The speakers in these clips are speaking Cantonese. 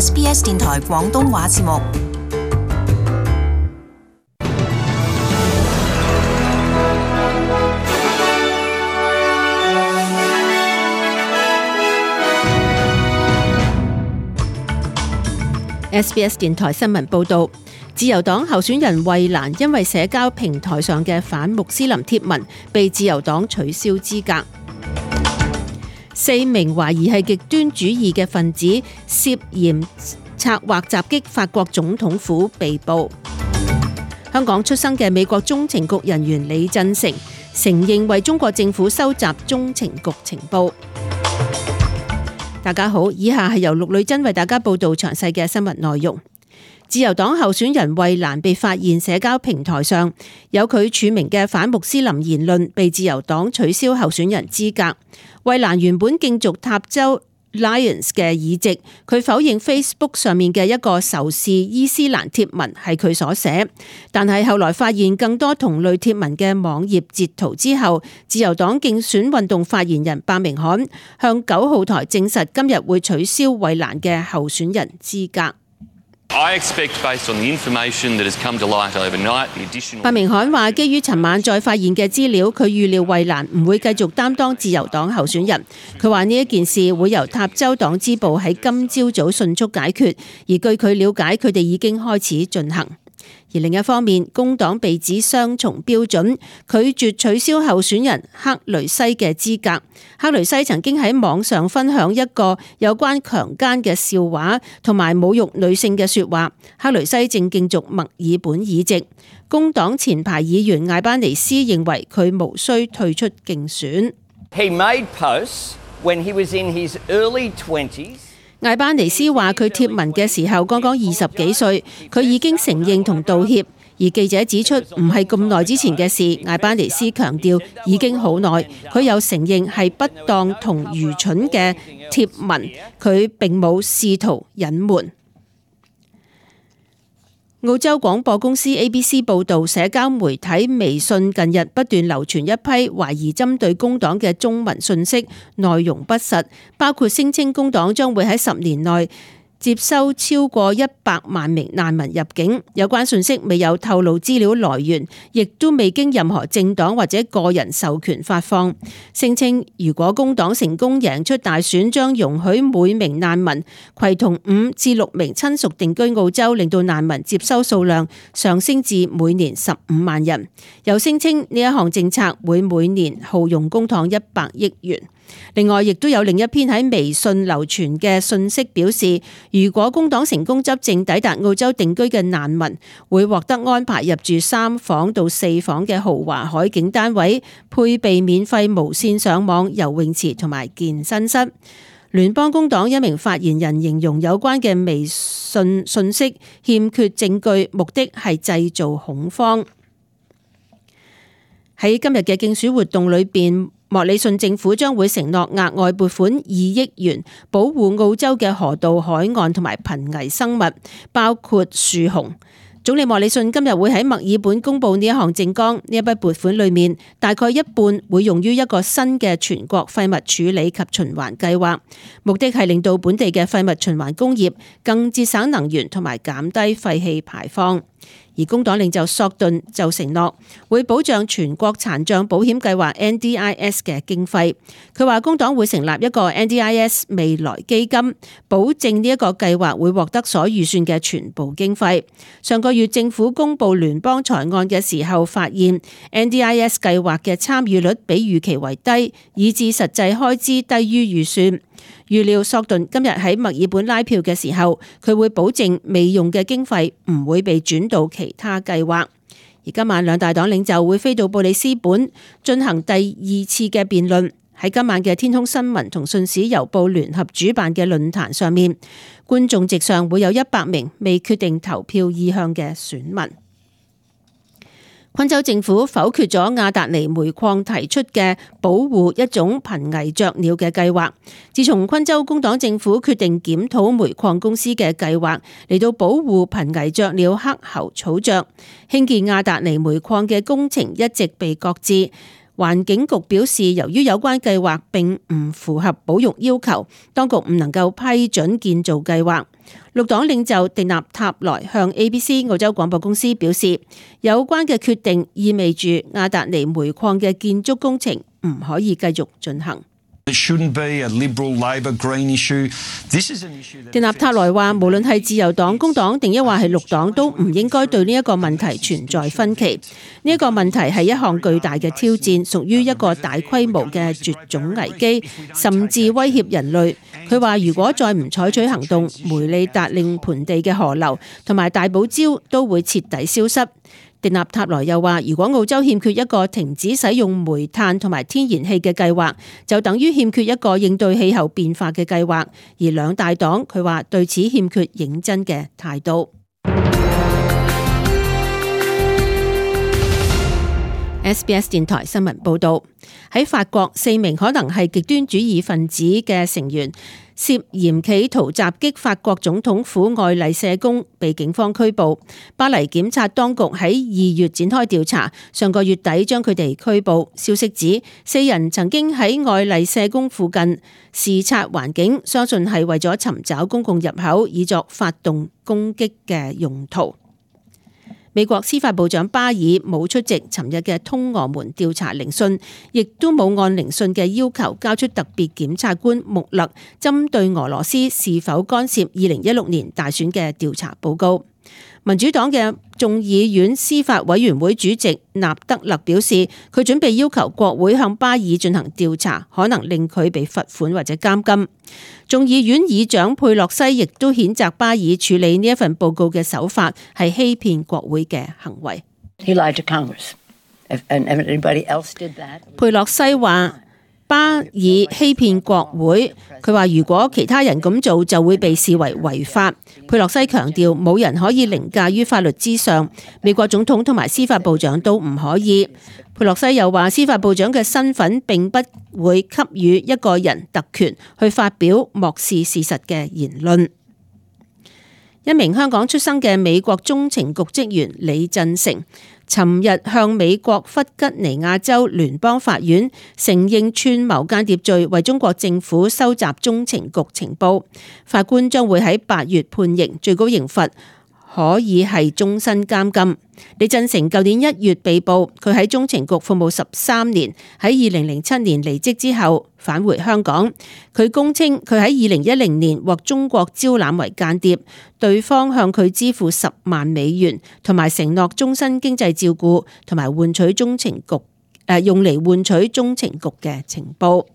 SBS 電台廣東話節目。SBS 電台新聞報道，自由黨候選人慧蘭因為社交平台上嘅反穆斯林貼文，被自由黨取消資格。4名懷疑係極端主義嘅分子涉嫌策劃襲擊法國總統府被捕。香港出生嘅美國中情局人員李振成承認為中國政府收集中情局情報。大家好，以下係由陸女珍為大家報道詳細嘅新聞內容。自由黨候選人慧蘭被發現社交平台上有佢署名嘅反穆斯林言論，被自由黨取消候選人資格。慧蘭原本競逐塔州 Lions 嘅議席，佢否認 Facebook 上面嘅一個仇視伊斯蘭貼文係佢所寫，但係後來發現更多同類貼文嘅網頁截圖之後，自由黨競選運動發言人白明翰向9號台證實今日會取消慧蘭嘅候選人資格。白明翰話：基於尋晚再發現嘅資料，佢預料慧蘭唔會繼續擔當自由黨候選人。佢話呢一件事會由塔州黨支部喺今朝早迅速解決，而據佢了解，佢哋已經開始進行。而另一方面，工黨被指雙重標準，拒絕取消候選人克雷西嘅資格。克雷西曾經喺網上分享一個有關強姦嘅笑話同埋侮辱女性嘅說話。克雷西正競逐墨爾本議席。工黨前排議員艾班尼斯認為佢無需退出競選。He made posts when he was in his early 20s. 艾班尼斯話佢貼文嘅時候剛剛20幾歲，佢已經承認同道歉。而記者指出唔係咁耐之前嘅事，艾班尼斯強調已經好耐。佢又承認係不當同愚蠢嘅貼文，佢並冇試圖隱瞞。澳洲廣播公司 ABC 報導，社交媒體微信近日不斷流傳一批懷疑針對工黨嘅中文訊息，內容不實，包括聲稱工黨將會喺10年內接收超過100萬名難民入境。有關訊息未有透露資料來源，亦都未經任何政黨或者個人授權發放。聲稱如果工黨成功贏出大選，將容許每名難民攜同5至6名親屬定居澳洲，令到難民接收數量上升至每年15萬人。又聲稱呢一項政策會每年耗用公帑100億元。另外，亦都有另一篇喺微信流傳嘅訊息表示，如果工黨成功執政，抵達澳洲定居嘅難民會獲得安排入住3房到4房嘅豪華海景單位，配備免費無線上網、游泳池同埋健身室。聯邦工黨一名發言人形容有關嘅微信訊息欠缺證據，目的係製造恐慌。喺今日嘅競選活動裏邊，莫里遜政府將會承諾額外撥款2億元，保護澳洲嘅河道、海岸同埋瀕危生物，包括樹熊。總理莫里遜今日會喺墨爾本公布呢一項政綱，呢一筆撥款裏面大概一半會用於一個新嘅全國廢物處理及循環計劃，目的係令到本地嘅廢物循環工業更節省能源同埋減低廢氣排放。而工黨領袖索頓就承諾會保障全國殘障保險計劃 NDIS 嘅經費。佢話工黨會成立一個 NDIS 未來基金，保證呢一個計劃會獲得所預算嘅全部經費。上個月政府公布聯邦財案嘅時候，發現 NDIS 計劃嘅參與率比預期為低，以致實際開支低於預算。預料索頓今日喺墨爾本拉票嘅時候，佢會保證未用嘅經費唔會被轉到其他計劃。而今晚兩大黨領袖會飛到布里斯本進行第2次嘅辯論。喺今晚嘅天空新聞同信使郵報聯合主辦嘅論壇上面，觀眾席上會有100名未決定投票意向嘅選民。昆州政府否決咗亞達尼煤礦提出嘅保護一種瀕危雀鳥嘅計劃。自從昆州工黨政府決定檢討煤礦公司嘅計劃嚟到保護瀕危雀鳥黑喉草雀，興建亞達尼煤礦嘅工程一直被擱置。環境局表示，由於有關計劃並唔符合保育要求，當局唔能夠批准建造計劃。綠黨領袖迪納塔萊向 ABC 澳洲廣播公司表示，有關嘅決定意味住亞達尼煤礦嘅建築工程唔可以繼續進行。迪納塔萊話，無論係自由黨、工黨定抑或係綠黨，都唔應該對呢一個問題存在分歧。呢一個問題係一項巨大嘅挑戰，屬於一個大規模嘅絕種危機，甚至威脅人類。佢話，如果再唔採取行動，梅里達令盆地嘅河流同埋大堡礁都會徹底消失。迪納塔萊又話，如果澳洲欠缺一個停止使用煤炭同埋天然氣嘅計劃，就等於欠缺一個應對氣候變化嘅計劃。而兩大黨佢話對此欠缺認真嘅態度。SBS 電台新聞報道，喺法國4名可能係極端主義分子嘅成員涉嫌企圖襲擊法國總統府愛麗舍宮，被警方拘捕。巴黎檢察當局喺2月展開調查，上個月底將佢哋拘捕。消息指4人曾經喺愛麗舍宮附近視察環境，相信係為咗尋找公共入口，以作發動攻擊嘅用途。美國司法部長巴爾冇出席尋日嘅通俄門調查聆訊，亦都冇按聆訊嘅要求交出特別檢察官穆勒針對俄羅斯是否干涉2016年大選嘅調查報告。民主黨嘅眾議院司法委員會主席納德勒表示，佢準備要求國會向巴爾進行調查，可能令佢被罰款或者監禁。眾議院議長佩洛西亦都譴責巴爾處理呢一份報告嘅手法係欺騙國會嘅行為。He lied to Congress. If anybody else did that. 佩洛西話巴爾欺騙國會，佢話如果其他人咁做就會被視為違法。佩洛西強調冇人可以凌駕於法律之上，美國總統同埋司法部長都唔可以。佩洛西又話司法部長嘅身份並不會給予一個人特權去發表漠視事實嘅言論。一名香港出生嘅美國中情局職員李振成尋日向美國弗吉尼亞州聯邦法院承認串謀間諜罪，為中國政府收集中情局情報。法官將會喺8月判刑，最高刑罰可以係終身監禁。李振成舊年1月被捕，佢喺中情局服務13年，喺2007年離職之後返回香港。佢供稱佢喺2010年獲中國招攬為間諜，對方向佢支付10萬美元，同埋承諾終身經濟照顧，同埋換取中情局用嚟換取中情局嘅情報。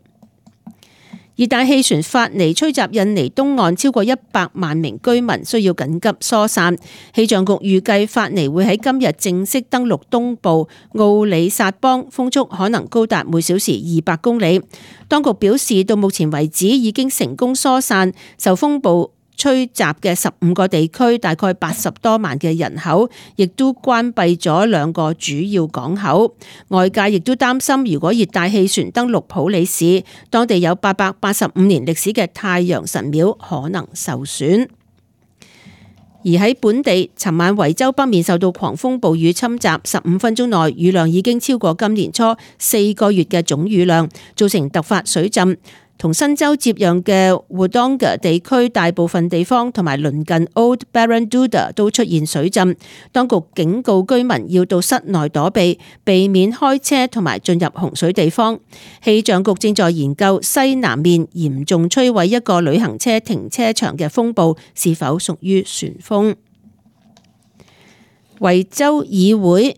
熱帶氣旋法尼吹襲印尼東岸，超過100萬名居民需要緊急疏散。氣象局預計法尼會喺今日正式登陸東部奧里薩邦，風速可能高達每小時200公里。當局表示，到目前為止已經成功疏散受風暴吹襲嘅15個地區，大概80多萬嘅人口，亦都關閉咗2個主要港口。外界亦都擔心，如果熱帶氣旋登陸普里市，當地有885年歷史嘅太陽神廟可能受損。而喺本地，尋晚維州北面受到狂風暴雨侵襲，15分鐘內雨量已經超過今年初4個月嘅總雨量，造成突發水浸。同新州接壤嘅 Wodonga 地區大部分地方同埋鄰近 Old Barraduda 都出現水浸，當局警告居民要到室內躲避，避免開車同埋進入洪水地方。氣象局正在研究西南面嚴重摧毀一個旅行車停車場嘅風暴是否屬於旋風。維州議會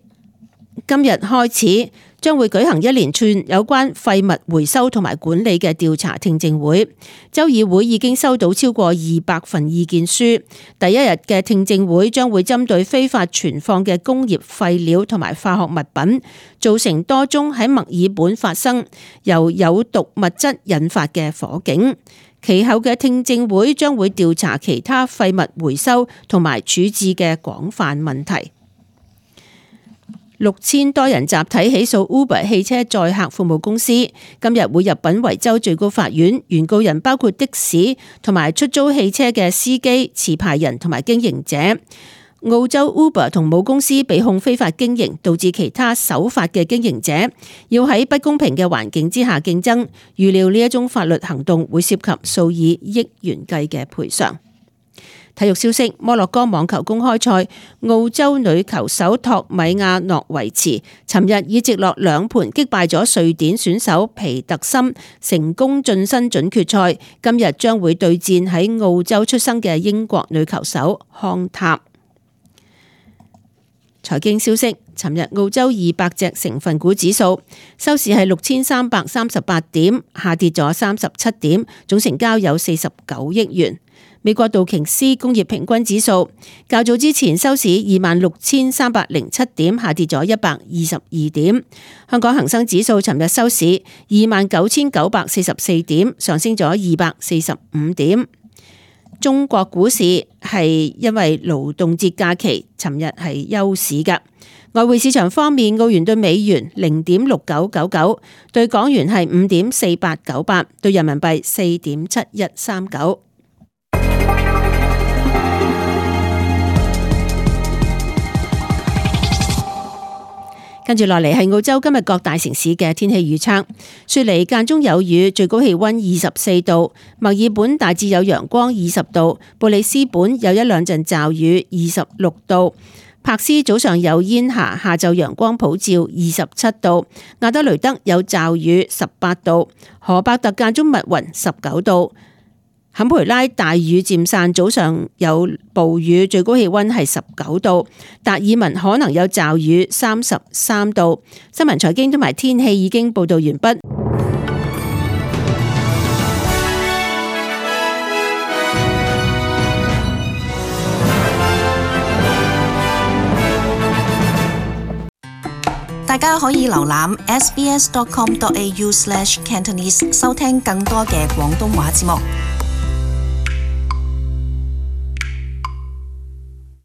今日開始將會舉行一連串有關廢物回收同埋管理嘅調查聽證會。州議會已經收到超過200份意見書。第一日嘅聽證會將會針對非法存放嘅工業廢料同埋化學物品，造成多宗喺墨爾本發生由有毒物質引發嘅火警。其後嘅聽證會將會調查其他廢物回收同埋處置嘅廣泛問題。6000多人集體起訴 Uber 汽車載客服務公司，今日會入稟維州最高法院。原告人包括的士同埋出租汽車嘅司機、持牌人同埋經營者。澳洲 Uber 同母公司被控非法經營，導致其他守法嘅經營者要喺不公平嘅環境之下競爭。預料呢一宗法律行動會涉及數以億元計嘅賠償。體育消息：摩洛哥網球公開賽，澳洲女球手托米亞諾維茨尋日以直落2盤擊敗咗瑞典選手皮特森，成功晉身準決賽。今日將會對戰喺澳洲出生嘅英國女球手康塔。財經消息：尋日澳洲200隻成分股指數收市係6338點，下跌咗37點，總成交有49億元。美國道瓊斯工業平均指數較早之前收市26,307點，下跌咗122點。香港恒生指數尋日收市29,944點，上升咗245點。中國股市係因為勞動節假期，尋日係休市㗎。外匯市場方面，澳元對美元0.6999，對港元係5.4898，對人民幣4.7139。跟住落嚟係澳洲今日各大城市嘅天氣預測。雪梨間中有雨，最高氣溫24度；墨爾本大致有陽光20度；布里斯本有1-2陣驟雨26度；柏斯早上有煙霞，下晝陽光普照27度；亞德雷德有驟雨18度；荷伯特間中密雲19度。坎培拉大雨漸散，早上有暴雨，最高氣溫係19度。達爾文可能有驟雨33度。新聞財經同埋天氣已經報道完畢。大家可以瀏覽 sbs.com.au/Cantonese 收聽更多嘅廣東話節目。